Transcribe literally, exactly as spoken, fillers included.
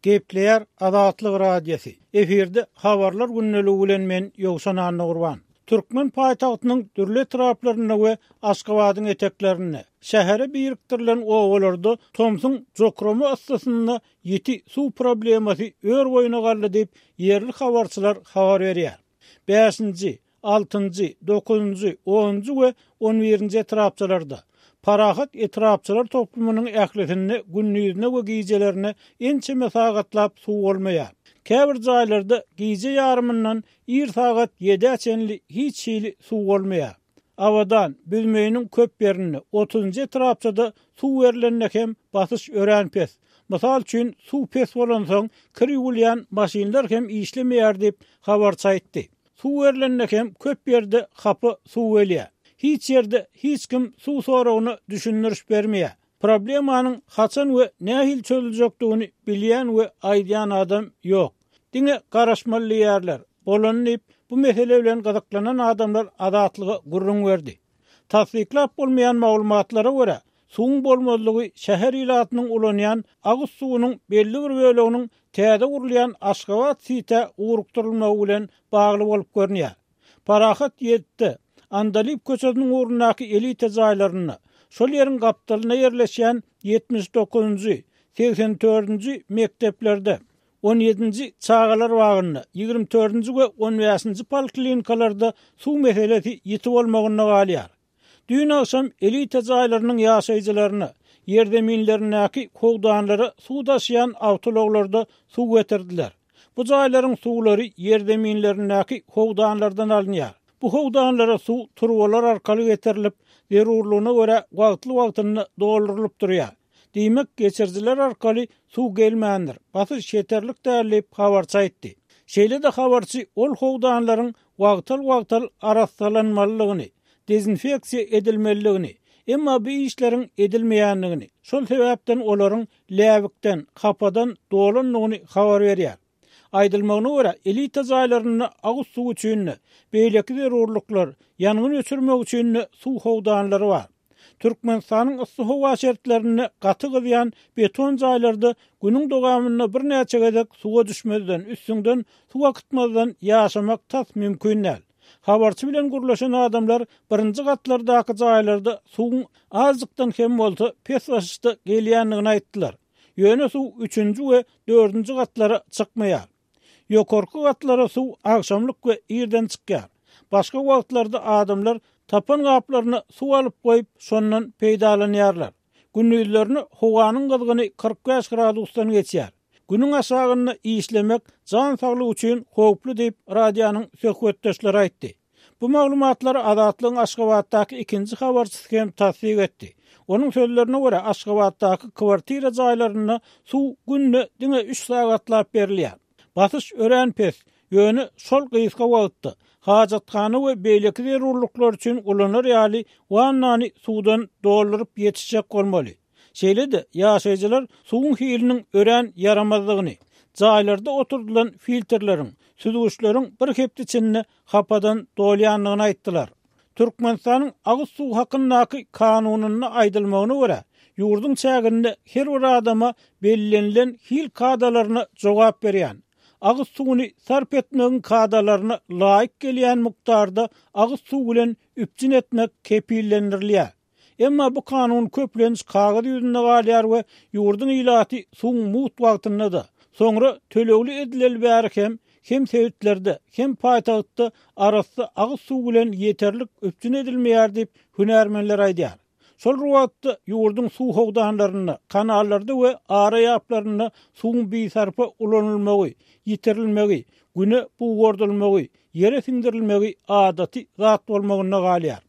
Gepleýär Azatlyk Radiosy. Efirde habarlar gündeligi bilen men Ýowşan Annagurban. Türkmen paýtagtynyň dürli etraplarynda we Aşgabadyň eteklerinde, şähere birikdirilen obalarda tomsuň jokrama yssysynda ýiti suw problemasy ör boýuna galdy diýip, ýerli habarçylar habar berýär. Bäşinji, altynjy, dokuzynjy, onunjy we on birinji etrapçalarda, Parahat etrapçalar toplumynyň ählisinde gündizine we gijelerine ençeme sagatlap suw bolmaýar. Käbir jaýlarda gije ýarymyndan ir sagat ýedä çenli hiç hili suw bolmaýar. Abadan, Büzmeýiniň köp ýerinde, otuzynjy etrapçada suw berlende hem basyş örän pes. Mysal üçin, suw pes bolansoň, kir ýuwulýan maşynlar hem işlemeýär diýip, habarçy aýtdy. Suw berlende hem köp ýerde hapa suw gelýär. Hiç ýerde hiç kim suw soragyna düşündiriş bermeýär. Problemanyň haçan we nähili çözüljekdigini bilýän we aýdýan adam ýok. Diňe garaşmaly diýýärler. Bolany diýip, bu mesele bilen gyzyklanan adamlar Azatlyga gürrüň berdi. Tassyklap bolmaýan maglumatlara görä, suwuň bolmazlygy şäher ilatynyň ulanýan agyz suwunyň belli bir böleginiň täze gurulýan Aşgabat Sitä ugrukdyrylmagy bilen bagly bolup görünýär. Parahat ýetdi. Andalyp köçesiniň ugrundaky elite jaýlarynda, şol ýeriň gapdalynda ýerleşýän ýetmiş dokuzynjy, segsen dördünji mekdeplerde, on ýedinji çagalar bagynda, ýigrimi dördünji we on bäşinji poliklinikalarda suw meselesi ýiti bolmagynda galýar. Düýn agşam elite jaýlarynyň ýaşaýjylaryna, ýerzeminlerindäki howdanlara suw daşaýan awtoulaglarda suw getirdiler. Bu jaýlaryň suwlary ýerzeminlerindäki howdanlardan alynýar. Bu howdanlara suw turbalar arkaly getirilip, zerurlygyna görä wagtly-wagtynda doldurylyp durýar. Diýmek, geçirijiler arkaly suw gelmändir. Basyş ýeterlik däl diýip habarçy aýtdy. Şeýle-de habarçy ol howdanlaryň wagtal-wagtal arassalanmalydygyny, dezinfeksiýa edilmelidigini, emma bu işleriň edilmeýändigini, şol sebäpden olaryň läbikden, hapadan dolandygyny habar berýär. Aýdylmagyna görä, elite jaýlarynda agyz suw üçin-de, beýleki zerurlyklar, ýangyn öçürmek üçin-de suw howdanlary bar. Türkmenistanyň yssy howa şertlerinde gaty gyzýan beton jaýlarda günüň dowamynda birnäçe gezek suwa düşmezden, üstüňden suw akytmazdan ýaşamak tas mümkin däl. Habarçy bilen gürleşen adamlar birinji gatlardaky jaýlarda suwuň azjykdan hem bolsa pes basyşda gelýändigini aýtdylar. Ýöne suw üçünji we dördünji gatlara çykmaýar. Ýokarky gatlara suw agşamlyk we irden çykýar. Başga wagtlarda adamlar tapan gaplaryna suw alyp goýup, şondan peýdalanýarlar. Gündizlerini howanyň gyzgyny kyrk bäş gradusdan geçýär. Günüň aşagynda işlemek jan saglygy üçin howply diýip radionyň söhbetdeşleri aýtdy. Bu maglumatlary Azatlygyň Aşgabatdaky ikinji habarçysy hem tassyk etdi. Onuň sözlerine görä, Aşgabatdaky kwartira jaýlarynda suw günde diňe üç sagatlap berilýär. Basyş örän pes, ýöne şol gysga wagtda hajathana we beýleki zerurlyklar üçin ulanar ýaly wannany suwdan dolduryp ýetişjek bolmaly. Şeýle-de ýaşaýjylar suwuň hiliniň örän ýaramazdygyny, jaýlarda oturdylan filtrleriň, süzgüçleriň bir hepde içinde hapadan dolýandygyny aýtdylar. Türkmenistanyň agyz suw hakyndaky kanunynda aýdylmagyna görä, ýurduň çäginde her bir adama bellenilen hil kadalaryna jogap berýän, agyz suwuny sarp etmegiň kadalaryna laýyk gelýän mukdarda agyz suw bilen üpjün etmek kepillendirilýär. Emma bu kanun köplenç kagyz ýüzünde galýar we ýurduň ilaty suwuň mugt wagtynda-da, soňra tölegli edileli bäri hem, hem sebitlerde, hem paýtagtda arassa agyz suw bilen ýeterlik üpjün edilmeýär diýip hünärmenler aýdýar. Şol bir wagtda ýurduň suw howdanlarynda, kanallarda we ara ýaplarynda suwuň bisarpa ulanylmagy, ýitirilmegi, güne bugardylmagy, ýere siňdirilmegi adaty zat bolmagynda galýar.